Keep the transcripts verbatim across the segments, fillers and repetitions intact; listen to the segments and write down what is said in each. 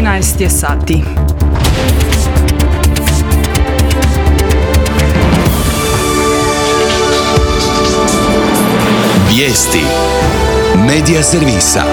trinaest je sati. Vijesti Medija servisa.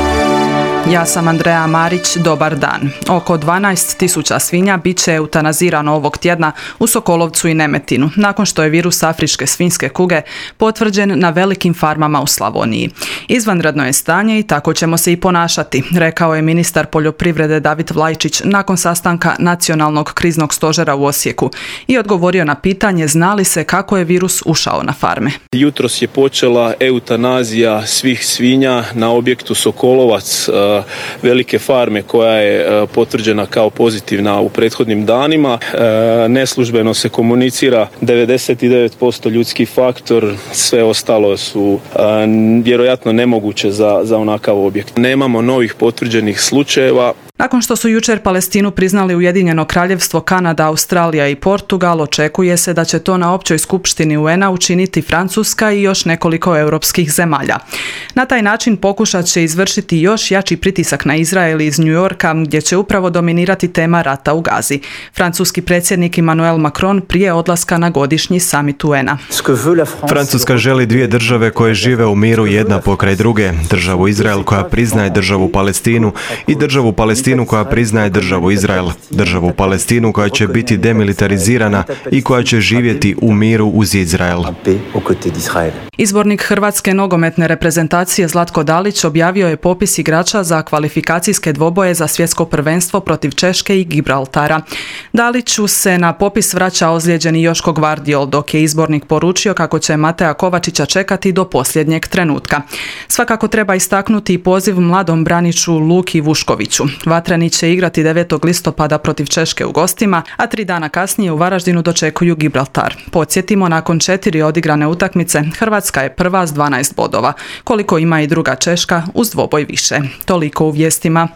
Ja sam Andreja Marić, dobar dan. Oko dvanaest tisuća svinja bit će eutanazirano ovog tjedna u Sokolovcu i Nemetinu, nakon što je virus afričke svinjske kuge potvrđen na velikim farmama u Slavoniji. Izvanredno je stanje i tako ćemo se i ponašati, rekao je ministar poljoprivrede David Vlajčić nakon sastanka Nacionalnog kriznog stožera u Osijeku i odgovorio na pitanje zna li se kako je virus ušao na farme. Jutros je počela eutanazija svih svinja na objektu Sokolovac, velike farme koja je potvrđena kao pozitivna u prethodnim danima. Neslužbeno se komunicira devedeset devet posto ljudski faktor, sve ostalo su vjerojatno nemoguće za, za onakav objekt. Nemamo novih potvrđenih slučajeva. Nakon što su jučer Palestinu priznali Ujedinjeno Kraljevstvo, Kanada, Australija i Portugal, očekuje se da će to na općoj skupštini U N-a učiniti Francuska i još nekoliko europskih zemalja. Na taj način pokušat će izvršiti još jači pritisak na Izrael iz New Yorka, gdje će upravo dominirati tema rata u Gazi. Francuski predsjednik Emmanuel Macron prije odlaska na godišnji samit U N-a. Francuska želi dvije države koje žive u miru jedna pokraj druge, državu Izrael koja priznaje državu Palestinu i državu Palestinu koja priznaje državu Izrael, državu Palestinu koja će biti demilitarizirana i koja će živjeti u miru uz Izrael. Izbornik Hrvatske nogometne reprezentacije Zlatko Dalić objavio je popis igrača za kvalifikacijske dvoboje za svjetsko prvenstvo protiv Češke i Gibraltara. Daliću se na popis vraća ozlijeđeni Joško Gvardiol, dok je izbornik poručio kako će Mateja Kovačića čekati do posljednjeg trenutka. Svakako treba istaknuti i poziv mladom braniču Luki Vuškoviću. Vatreni će igrati devetog listopada protiv Češke u gostima, a tri dana kasnije u Varaždinu dočekuju Gibraltar. Podsjetimo, nakon četiri odigrane utakmice, Hrvatska je prva s dvanaest bodova, koliko ima i druga Češka uz dvoboj više. Toliko u vijestima.